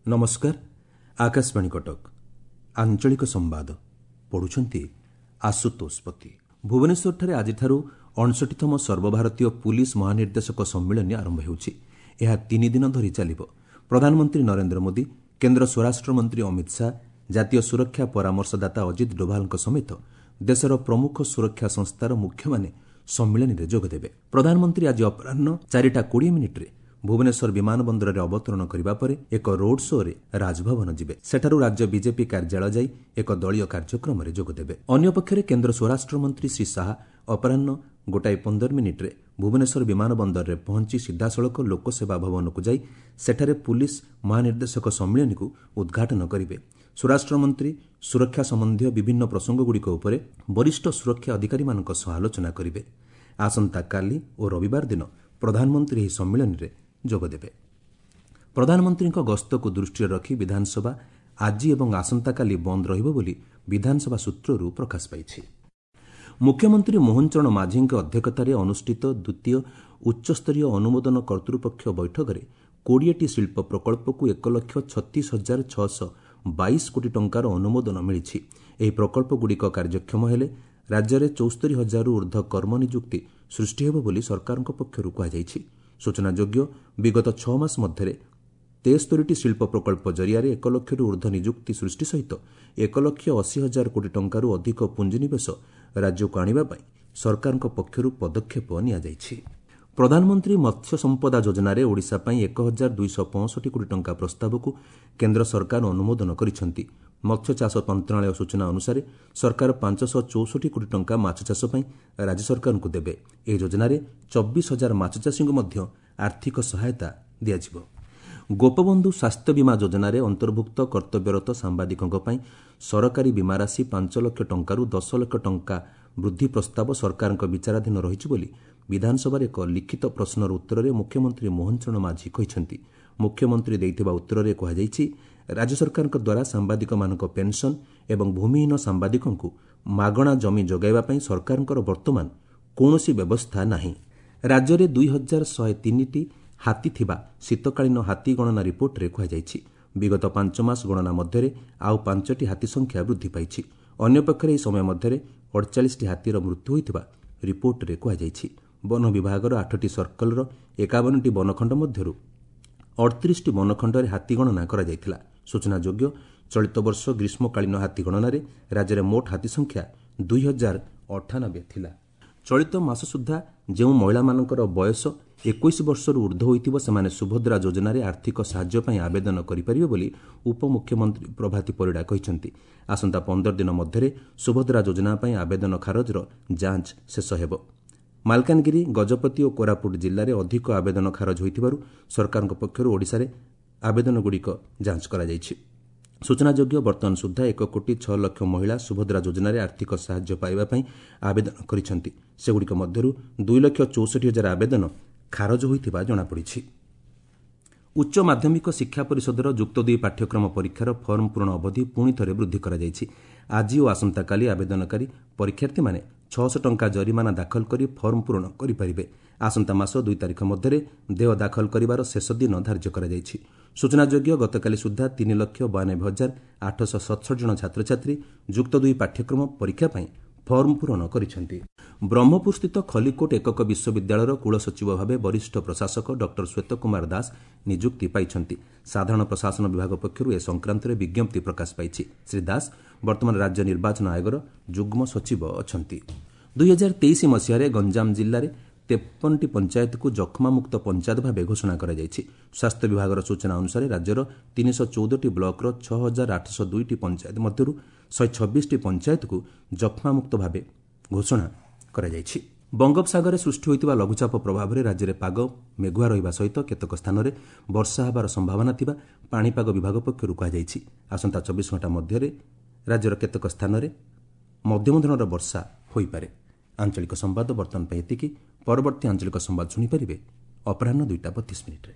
ନମସ୍କାର, ଆକାଶବାଣୀ କଟକ। ଆଞ୍ଚଳିକ ସମ୍ବାଦ ପଢ଼ୁଛନ୍ତି ଆଶୁତୋଷ ପତି। ଭୁବନେଶ୍ୱରଠାରେ ଆଜିଠାରୁ 59ତମ ସର୍ବଭାରତୀୟ ପୁଲିସ୍ ମହାନିର୍ଦ୍ଦେଶକ ସମ୍ମିଳନୀ ଆରମ୍ଭ ହେଉଛି। ଏହା 3 ଦିନ ଧରି ଚାଲିବ। ପ୍ରଧାନମନ୍ତ୍ରୀ ନରେନ୍ଦ୍ର ମୋଦି, କେନ୍ଦ୍ର ସ୍ୱରାଷ୍ଟ୍ରମନ୍ତ୍ରୀ ଅମିତ ଶାହା, ଜାତୀୟ ସୁରକ୍ଷା ପରାମର୍ଶଦାତା ଅଜିତ ଡୋଭାଲଙ୍କ ସମେତ ଦେଶର ପ୍ରମୁଖ ସୁରକ୍ଷା ସଂସ୍ଥାର ମୁଖ୍ୟମାନେ ସମ୍ମିଳନୀରେ ଯୋଗଦେବେ। ପ୍ରଧାନମନ୍ତ୍ରୀ ଆଜି ଅପରାହ୍ନ 4ଟା 20 ମିନିଟ୍ରେ ଭୁବନେଶ୍ୱର ବିମାନ ବନ୍ଦରରେ ଅବତରଣ କରିବା ପରେ ଏକ ରୋଡ୍ ଶୋ'ରେ ରାଜଭବନ ଯିବେ। ସେଠାରୁ ରାଜ୍ୟ ବିଜେପି କାର୍ଯ୍ୟାଳୟ ଯାଇ ଏକ ଦଳୀୟ କାର୍ଯ୍ୟକ୍ରମରେ ଯୋଗଦେବେ। ଅନ୍ୟପକ୍ଷରେ କେନ୍ଦ୍ର ସ୍ୱରାଷ୍ଟ୍ରମନ୍ତ୍ରୀ ଶ୍ରୀ ଶାହା ଅପରାହ୍ନ 1ଟା 15 ମିନିଟ୍ରେ ଭୁବନେଶ୍ୱର ବିମାନ ବନ୍ଦରରେ ପହଞ୍ଚି ସିଧାସଳଖ ଲୋକସେବା ଭବନକୁ ଯାଇ ସେଠାରେ ପୁଲିସ୍ ମହାନିର୍ଦ୍ଦେଶକ ସମ୍ମିଳନୀକୁ ଉଦ୍ଘାଟନ କରିବେ। ସ୍ୱରାଷ୍ଟ୍ରମନ୍ତ୍ରୀ ସୁରକ୍ଷା ସମ୍ବନ୍ଧୀୟ ବିଭିନ୍ନ ପ୍ରସଙ୍ଗଗୁଡ଼ିକ ଉପରେ ବରିଷ୍ଠ ସୁରକ୍ଷା ଅଧିକାରୀମାନଙ୍କ ସହ ଆଲୋଚନା କରିବେ। ଆସନ୍ତାକାଲି ଓ ରବିବାର ଦିନ ପ୍ରଧାନମନ୍ତ୍ରୀ ଏହି ସମ୍ମିଳନୀରେ ଯୋଗଦେବେ। ପ୍ରଧାନମନ୍ତ୍ରୀଙ୍କ ଗସ୍ତକୁ ଦୃଷ୍ଟିରେ ରଖି ବିଧାନସଭା ଆଜି ଏବଂ ଆସନ୍ତାକାଲି ବନ୍ଦ ରହିବ ବୋଲି ବିଧାନସଭା ସୂତ୍ରରୁ ପ୍ରକାଶ ପାଇଛି। ମୁଖ୍ୟମନ୍ତ୍ରୀ ମୋହନ ଚରଣ ମାଝୀଙ୍କ ଅଧ୍ୟକ୍ଷତାରେ ଅନୁଷ୍ଠିତ ଦ୍ୱିତୀୟ ଉଚ୍ଚସ୍ତରୀୟ ଅନୁମୋଦନ କର୍ତ୍ତୃପକ୍ଷ ବୈଠକରେ 20ଟି ଶିଳ୍ପ ପ୍ରକଳ୍ପକୁ 1,36,622 କୋଟି ଟଙ୍କାର ଅନୁମୋଦନ ମିଳିଛି। ଏହି ପ୍ରକଳ୍ପଗୁଡ଼ିକ କାର୍ଯ୍ୟକ୍ଷମ ହେଲେ ରାଜ୍ୟରେ 74 ହଜାରରୁ ଉର୍ଦ୍ଧ୍ୱ କର୍ମନିଯୁକ୍ତି ସୃଷ୍ଟି ହେବ ବୋଲି ସରକାରଙ୍କ ପକ୍ଷରୁ କୁହାଯାଇଛି। ସୂଚନାଯୋଗ୍ୟ, ବିଗତ 6 ମାସ ମଧ୍ୟରେ 73ଟି ଶିଳ୍ପ ପ୍ରକଳ୍ପ ଜରିଆରେ 1 ଲକ୍ଷରୁ ଉର୍ଦ୍ଧ୍ୱ ନିଯୁକ୍ତି ସୃଷ୍ଟି ସହିତ 1 ଲକ୍ଷ 80 ହଜାର କୋଟି ଟଙ୍କାରୁ ଅଧିକ ପୁଞ୍ଜିନିବେଶ ରାଜ୍ୟକୁ ଆଣିବା ପାଇଁ ସରକାରଙ୍କ ପକ୍ଷରୁ ପଦକ୍ଷେପ ନିଆଯାଇଛି। ପ୍ରଧାନମନ୍ତ୍ରୀ ମତ୍ସ୍ୟ ସମ୍ପଦା ଯୋଜନାରେ ଓଡ଼ିଶା ପାଇଁ 1265 କୋଟି ଟଙ୍କା ପ୍ରସ୍ତାବକୁ କେନ୍ଦ୍ର ସରକାର ଅନୁମୋଦନ କରିଛନ୍ତି। ମତ୍ସ୍ୟଚାଷ ମନ୍ତ୍ରଣାଳୟ ସୂଚନା ଅନୁସାରେ ସରକାର 564 କୋଟି ଟଙ୍କା ମାଛଚାଷ ପାଇଁ ରାଜ୍ୟ ସରକାରଙ୍କୁ ଦେବେ। ଏହି ଯୋଜନାରେ 24 ହଜାର ମାଛଚାଷୀଙ୍କୁ ମଧ୍ୟ ଆର୍ଥିକ ସହାୟତା ଦିଆଯିବ। ଗୋପବନ୍ଧୁ ସ୍ୱାସ୍ଥ୍ୟ ବୀମା ଯୋଜନାରେ ଅନ୍ତର୍ଭୁକ୍ତ କର୍ତ୍ତବ୍ୟରତ ସାମ୍ବାଦିକଙ୍କ ପାଇଁ ସରକାରୀ ବୀମା ରାଶି 5 ଲକ୍ଷ ଟଙ୍କାରୁ 10 ଲକ୍ଷ ଟଙ୍କା ବୃଦ୍ଧି ପ୍ରସ୍ତାବ ସରକାରଙ୍କ ବିଚାରାଧୀନ ରହିଛି ବୋଲି ବିଧାନସଭାରେ ଏକ ଲିଖିତ ପ୍ରଶ୍ନର ଉତ୍ତରରେ ମୁଖ୍ୟମନ୍ତ୍ରୀ ମୋହନ ଚରଣ ମାଝୀ କହିଛନ୍ତି। ମୁଖ୍ୟମନ୍ତ୍ରୀ ଦେଇଥିବା ଉତ୍ତରରେ କୁହାଯାଇଛି, ରାଜ୍ୟ ସରକାରଙ୍କ ଦ୍ୱାରା ସାମ୍ବାଦିକମାନଙ୍କ ପେନ୍ସନ୍ ଏବଂ ଭୂମିହୀନ ସାମ୍ବାଦିକଙ୍କୁ ମାଗଣା ଜମି ଯୋଗାଇବା ପାଇଁ ସରକାରଙ୍କର ବର୍ତ୍ତମାନ କୌଣସି ବ୍ୟବସ୍ଥା ନାହିଁ। ରାଜ୍ୟରେ 2103ଟି ହାତୀ ଥିବା ଶୀତକାଳୀନ ହାତୀ ଗଣନା ରିପୋର୍ଟରେ କୁହାଯାଇଛି। ବିଗତ 5 ମାସ ଗଣନା ମଧ୍ୟରେ ଆଉ ପାଞ୍ଚଟି ହାତୀ ସଂଖ୍ୟା ବୃଦ୍ଧି ପାଇଛି। ଅନ୍ୟପକ୍ଷରେ ଏହି ସମୟ ମଧ୍ୟରେ 48ଟି ହାତୀର ମୃତ୍ୟୁ ହୋଇଥିବା ରିପୋର୍ଟରେ କୁହାଯାଇଛି। ବନ ବିଭାଗର ଆଠଟି ସର୍କଲର 51ଟି ବନଖଣ୍ଡ ମଧ୍ୟରୁ 38ଟି ବନଖଣ୍ଡରେ ହାତୀ ଗଣନା କରାଯାଇଥିଲା। ସୂଚନାଯୋଗ୍ୟ, ଚଳିତ ବର୍ଷ ଗ୍ରୀଷ୍ମକାଳୀନ ହାତୀ ଗଣନାରେ ରାଜ୍ୟରେ ମୋଟ ହାତୀ ସଂଖ୍ୟା 2098 ଥିଲା। ଚଳିତ ମାସ ସୁଦ୍ଧା ଯେଉଁ ମହିଳାମାନଙ୍କର ବୟସ 21 ବର୍ଷରୁ ଉର୍ଦ୍ଧ୍ୱ ହୋଇଥିବ, ସେମାନେ ସୁଭଦ୍ରା ଯୋଜନାରେ ଆର୍ଥିକ ସାହାଯ୍ୟ ପାଇଁ ଆବେଦନ କରିପାରିବେ ବୋଲି ଉପମୁଖ୍ୟମନ୍ତ୍ରୀ ପ୍ରଭାତୀ ପରିଡ଼ା କହିଛନ୍ତି। ଆସନ୍ତା 15 ଦିନ ମଧ୍ୟରେ ସୁଭଦ୍ରା ଯୋଜନା ପାଇଁ ଆବେଦନ ଖାରଜର ଯାଞ୍ଚ ଶେଷ ହେବ। ମାଲକାନଗିରି, ଗଜପତି ଓ କୋରାପୁଟ ଜିଲ୍ଲାରେ ଅଧିକ ଆବେଦନ ଖାରଜ ହୋଇଥିବାରୁ ସରକାରଙ୍କ ପକ୍ଷରୁ ଓଡ଼ିଶାରେ ଆବେଦନଗୁଡ଼ିକ ଯାଞ୍ଚ କରାଯାଇଛି। ସୂଚନାଯୋଗ୍ୟ, ବର୍ତ୍ତମାନ ସୁଦ୍ଧା 1 କୋଟି 6 ଲକ୍ଷ ମହିଳା ସୁଭଦ୍ରା ଯୋଜନାରେ ଆର୍ଥିକ ସାହାଯ୍ୟ ପାଇବା ପାଇଁ ଆବେଦନ କରିଛନ୍ତି। ସେଗୁଡ଼ିକ ମଧ୍ୟରୁ 2 ଲକ୍ଷ 64 ହଜାର ଆବେଦନ ଖାରଜ ହୋଇଥିବା ଜଣାପଡ଼ିଛି। ଉଚ୍ଚ ମାଧ୍ୟମିକ ଶିକ୍ଷା ପରିଷଦର ଯୁକ୍ତ ଦୁଇ ପାଠ୍ୟକ୍ରମ ପରୀକ୍ଷାର ଫର୍ମ ପୂରଣ ଅବଧି ପୁଣି ଥରେ ବୃଦ୍ଧି କରାଯାଇଛି। ଆଜି ଓ ଆସନ୍ତାକାଲି ଆବେଦନକାରୀ ପରୀକ୍ଷାର୍ଥୀମାନେ 600 ଟଙ୍କା ଜରିମାନା ଦାଖଲ କରି ଫର୍ମ ପୂରଣ କରିପାରିବେ। ଆସନ୍ତା ମାସ 2 ତାରିଖ ମଧ୍ୟରେ ଦେୟ ଦାଖଲ କରିବାର ଶେଷ ଦିନ ଧାର୍ଯ୍ୟ କରାଯାଇଛି। ସୂଚନାଯୋଗ୍ୟ, ଗତକାଲି ସୁଦ୍ଧା 3,92,867 ଜଣ ଛାତ୍ରଛାତ୍ରୀ ଯୁକ୍ତ ଦୁଇ ପାଠ୍ୟକ୍ରମ ପରୀକ୍ଷା ପାଇଁ ଫର୍ମ ପୂରଣ କରିଛନ୍ତି। ବ୍ରହ୍ମପୁରସ୍ଥିତ ଖଲିକୋଟ ଏକକ ବିଶ୍ୱବିଦ୍ୟାଳୟର କୁଳସଚିବ ଭାବେ ବରିଷ୍ଠ ପ୍ରଶାସକ ଡକ୍ଟର ଶ୍ୱେତ କୁମାର ଦାସ ନିଯୁକ୍ତି ପାଇଛନ୍ତି। ସାଧାରଣ ପ୍ରଶାସନ ବିଭାଗ ପକ୍ଷରୁ ଏ ସଂକ୍ରାନ୍ତରେ ବିଜ୍ଞପ୍ତି ପ୍ରକାଶ ପାଇଛି। ଶ୍ରୀ ଦାସ ବର୍ତ୍ତମାନ ରାଜ୍ୟ ନିର୍ବାଚନ ଆୟୋଗର ଯୁଗ୍ମ ସଚିବ ଅଛନ୍ତି। 2023 ମସିହାରେ ଗଞ୍ଜାମ ଜିଲ୍ଲାରେ 53ଟି ପଞ୍ଚାୟତକୁ ଯକ୍ଷ୍ମାମୁକ୍ତ ପଞ୍ଚାୟତ ଭାବେ ଘୋଷଣା କରାଯାଇଛି। ସ୍ୱାସ୍ଥ୍ୟ ବିଭାଗର ସୂଚନା ଅନୁସାରେ ରାଜ୍ୟର 314ଟି ବ୍ଲକର 6802ଟି ପଞ୍ଚାୟତ ମଧ୍ୟରୁ 126ଟି ପଞ୍ଚାୟତକୁ ଯକ୍ଷ୍ମାମୁକ୍ତ ଭାବେ ଘୋଷଣା କରାଯାଇଛି। ବଙ୍ଗୋପସାଗରରେ ସୃଷ୍ଟି ହୋଇଥିବା ଲଘୁଚାପ ପ୍ରଭାବରେ ରାଜ୍ୟରେ ପାଗ ମେଘୁଆ ରହିବା ସହିତ କେତେକ ସ୍ଥାନରେ ବର୍ଷା ହେବାର ସମ୍ଭାବନା ଥିବା ପାଣିପାଗ ବିଭାଗ ପକ୍ଷରୁ କୁହାଯାଇଛି। ଆସନ୍ତା 24 ଘଣ୍ଟା ମଧ୍ୟରେ ରାଜ୍ୟର କେତେକ ସ୍ଥାନରେ ମଧ୍ୟମ ଧରଣର ବର୍ଷା ହୋଇପାରେ। ଆଞ୍ଚଳିକ ସମ୍ବାଦ ବର୍ତ୍ତମାନ ପାଇଁ ଏତିକି। ପରବର୍ତ୍ତୀ ଆଞ୍ଚଳିକ ସମ୍ବାଦ ଶୁଣିପାରିବେ ଅପରାହ୍ନ 2ଟା 32 ମିନିଟ୍ରେ।